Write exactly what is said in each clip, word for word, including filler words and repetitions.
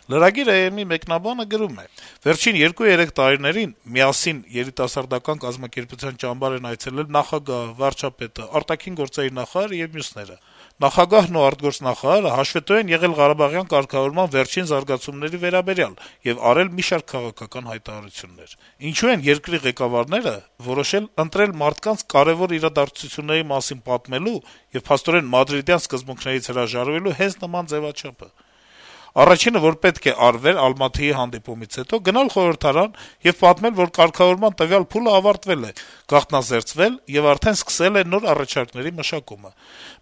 Lragir.am-ի մեկնաբանը գրում է. - «Վերջին երկու-երեք տարիներին «Միասին» երիտասարդական կազմակերպության ճամբար են այցելել նախագահը, վարչապետը, արտաքին գործերի նախարարը եւ մյուսները: Նախագահն ու արտգործնախարարը հաշվետու են եղել ղարաբաղյան կարգավորման վերջին զարգացումների վերաբերյալ եւ արել մի շարք քաղաքական հայտարարություններ: Ինչու են երկրի ղեկավարները որոշել ընտրել մարդկանց կարեւոր իրադարձությունների մասին պատմելու եւ փաստորեն մադրիդյան սկզբունքներից հրաժարվելու հենց նման ձեւաչափը: Առաջինը, որ պետք է արվեր Ալմաթիի հանդիպումից հետո, գնալ խորհրդարան եւ պատմել, որ կարգավորման տվյալ փուլը ավարտվել է, գաղտնազերծվել եւ արդեն սկսել է նոր առաջարկների մշակումը: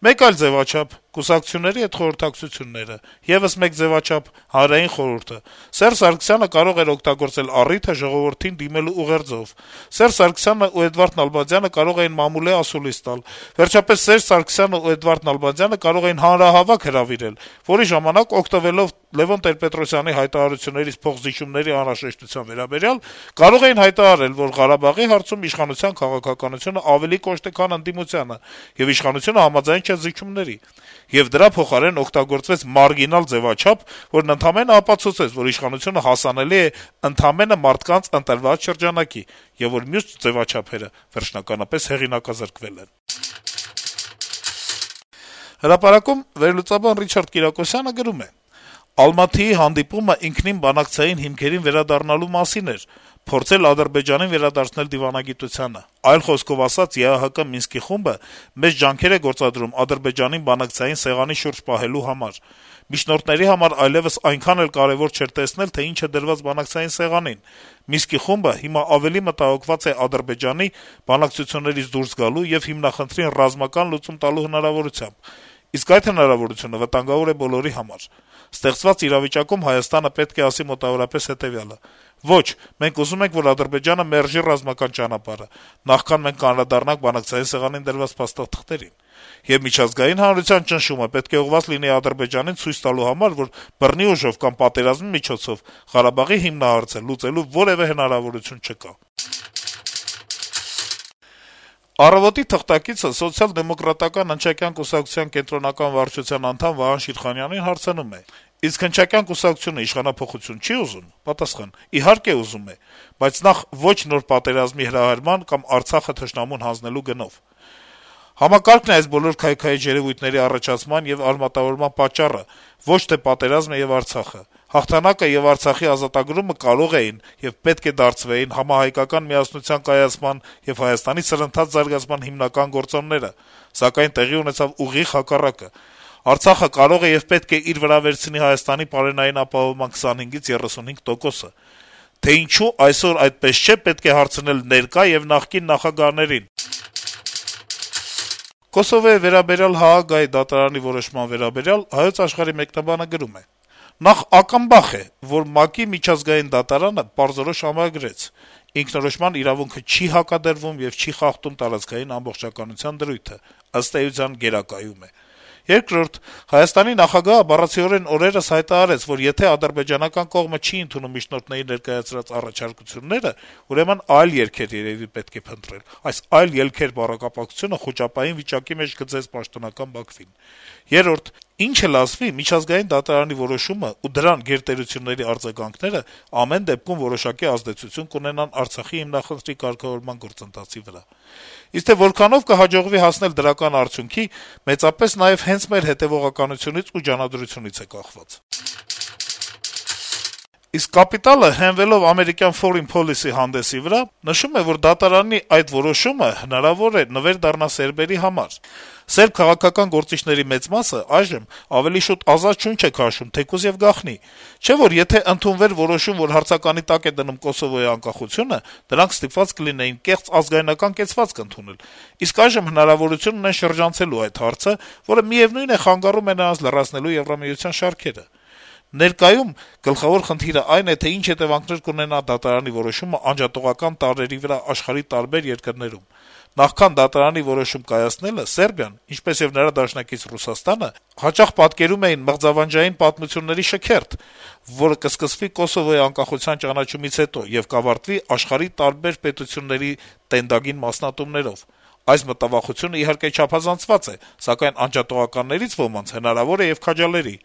Մեկ այլ ձեւաչափ՝ կուսակցությունների հետ խորհրդակցությունները: Եվս մեկ ձեւաչափ՝ Հանրային խորհուրդը: Սերժ Սարգսյանը կարող էր օգտագործել առիթը ժողովրդին դիմելու ուղերձով: Սերժ Սարգսյանն ու Էդվարդ Նալբանդյանը կարող էին մամուլի ասուլիս տալ: Վերջապես Սերժ Սարգսյանն ու Էդվարդ Նալբանդյանը կարող էին հանրահավաք հրավիրել, որի ժամանակ, օգտվելով Լեւոն Տեր-Պետրոսյանի հայտարարություններից փոխզիջումների անհրաժեշտության վերաբերյալ, կարող էին հայտարարել, որ Ղարաբաղի հարցում իշխանության քաղաքականությունը ավելի կոշտ է, քան ընդդիմությանը, եւ իշխանությունը համաձայն չէ զիջումների: Եվ դրա փոխարեն օգտագործվեց մարգինալ ձեւաչափ, որն ընդամենը ապացուցեց, որ իշխանությունը հասանելի է ընդամենը մարդկանց ընտրված շրջանակի, եւ որ մյուս ձեւաչափերը վերջնականապես հեղինակազրկվել են»: «Հրապարակ»-ում վերլուծաբան Ռիչարդ Կիրակոսյանը գրում է. - «Ալմաթիի հանդիպումը ինքնին բանակցային հիմքերին վերադառնալու մասին էր, փորձել Ադրբեջանին վերադարձնել դիվանագիտությանը: Այլ խոսքով ասած, ԵԱՀԿ Մինսկի խումբը մեծ ջանքեր է գործադրում Ադրբեջանին բանակցային սեղանի շուրջ պահելու համար: Միջնորդների համար այլեւս այնքան էլ կարեւոր չէր տեսնել, թե ինչ է դրված բանակցային սեղանին: Մինսկի խումբը հիմա ավելի մտահոգված է Ադրբեջանի բանակցություններից դուրս գալու եւ հիմնախնդրին ռազմական լուծում տալու հնարավորությամբ: Իսկ այդ հնարավորությունը վտանգավոր է բոլորի համար: Ստեղծված իրավիճակում Հայաստանը պետք է ասի մոտավորապես հետեւյալը. ոչ, մենք ուզում ենք, որ Ադրբեջանը մերժի ռազմական ճանապարհը, նախքան մենք կանդրադառնանք բանակցային սեղանին դրված փաստաթղթերին: Եվ միջազգային հանրության ճնշումը պետք է ուղղված լինի Ադրբեջանին ցույց տալու համար, որ բռնի ուժով կամ պատերազմի միջոցով Ղարաբաղի հիմնահարցը լուծելու որեւէ հնարավորություն չկա»: «Առավոտ»-ի թղթակիցը Սոցիալ-դեմոկրատական հնչակյան կուսակցության կենտրոնական վարչության անդամ Վահան Շիրխանյանին հարցնում է. - «Իսկ հնչակյան կուսակցությունը իշխանափոխություն չի ուզում»: Պատասխան. - «Իհարկե ուզում է, բայց նախ ոչ նոր պատերազմի հրահրման կամ Արցախը թշնամուն հանձնելու գնով: Համակարգն է այս բոլոր քայքայիչ երեւույթների առաջացման եւ արմատավորման պատճառը, ոչ թե պատերազմը եւ Արցախը: Հաղթանակը եւ Արցախի ազատագրումը կարող էին եւ պետք է դարձվեին համահայկական միասնության կայացման եւ Հայաստանի սրընթաց զարգացման հիմնական գործոնները, սակայն տեղի ունեցավ ուղիղ հակառակը: Արցախը կարող է եւ պետք է իր վրա վերցնի Հայաստանի պարենային ապահովման քսանհինգից երեսունհինգ տոկոսը: Թե ինչու այսօր այդպես չէ, պետք է հարցնել ներկա եւ նախկին նախագահներին»: Կոսովոյի վերաբերյալ ՀԱԳ-ի դատարանի որոշման վերաբերյալ «Հայոց Աշխարհ»-ի մեկնաբանը գրում է. - «Նախ ակնբախ է, որ ՄԱԿ-ի միջազգային դատարանը պարզորոշ ամրագրեց. ինքնորոշման իրավունքը չի հակադրվում եւ չի խախտում տարածքային ամբողջականության դրույթը, ըստ էության գերակայում է: Երկրորդ, Հայաստանի նախագահը բառացիորեն օրերս հայտարարեց, որ եթե ադրբեջանական կողմը չի ընդունում միջնորդների ներկայացրած առաջարկությունները, ուրեմն այլ ելքեր երեւի պետք է փնտրել: Այս «այլ ելքեր» բառակապակցությունը խուճապային վիճակի մեջ գցեց պաշտոնական Բաքվին: Երրորդ, ինչ էլ ասվի, միջազգային դատարանի որոշումը ու դրան գերտերությունների արձագանքները ամեն դեպքում որոշակի ազդեցություն կունենան Արցախի հիմնախնդրի կարգավորման գործընթացի վրա: Իսկ թե որքանով կհաջողվի հասնել դրական արդյունքի, մեծապես նաեւ հենց մեր հետեւողականությունից ու ջանադրությունից է կախված»: Իսկ «Կապիտալ»-ը, հենվելով ամերիկյան Foreign Policy հանդեսի վրա, նշում է, որ դատարանի այդ որոշումը հնարավոր է նվեր դառնա սերբերի համար: Սերբ քաղաքական գործիչների մեծ մասը այժմ ավելի շուտ ազատ շունչ է քաշում, թեկուզ եւ գաղտնի: Չէ՞ որ եթե ընդունվեր որոշում, որ հարցականի տակ է դնում Կոսովոյի անկախությունը, դրանք ստիպված կլինեին կեղծ ազգայնական կեցվածք ընդունել: Իսկ այժմ հնարավորություն ունեն շրջանցելու այդ հարցը, որը միեւնույն է խանգարում է նրանց լրացնելու Եվրամիության շարքերը: Ներկայում գլխավոր խնդիրը այն է, թե ինչ հետեւանքներ կունենա դատարանի որոշումը անջատողական տարրերի վրա աշխարհի տարբեր երկրներում: Նախքան դատարանի որոշում կայացնելը Սերբիան, ինչպես եւ նրա դաշնակից Ռուսաստանը, հաճախ պատկերում էին մղձավանջային պատմությունների շքերթ, որը կսկսվի Կոսովոյի անկախության ճանաչումից հետո եւ կավարտվի աշխարհի տարբեր պետությունների տենդագին մասնատումներով: Այս մտավախությունը իհարկե չափազանցված է, սակայն անջատողականներից ոմանց հնարավոր է եւ քաջալերի»: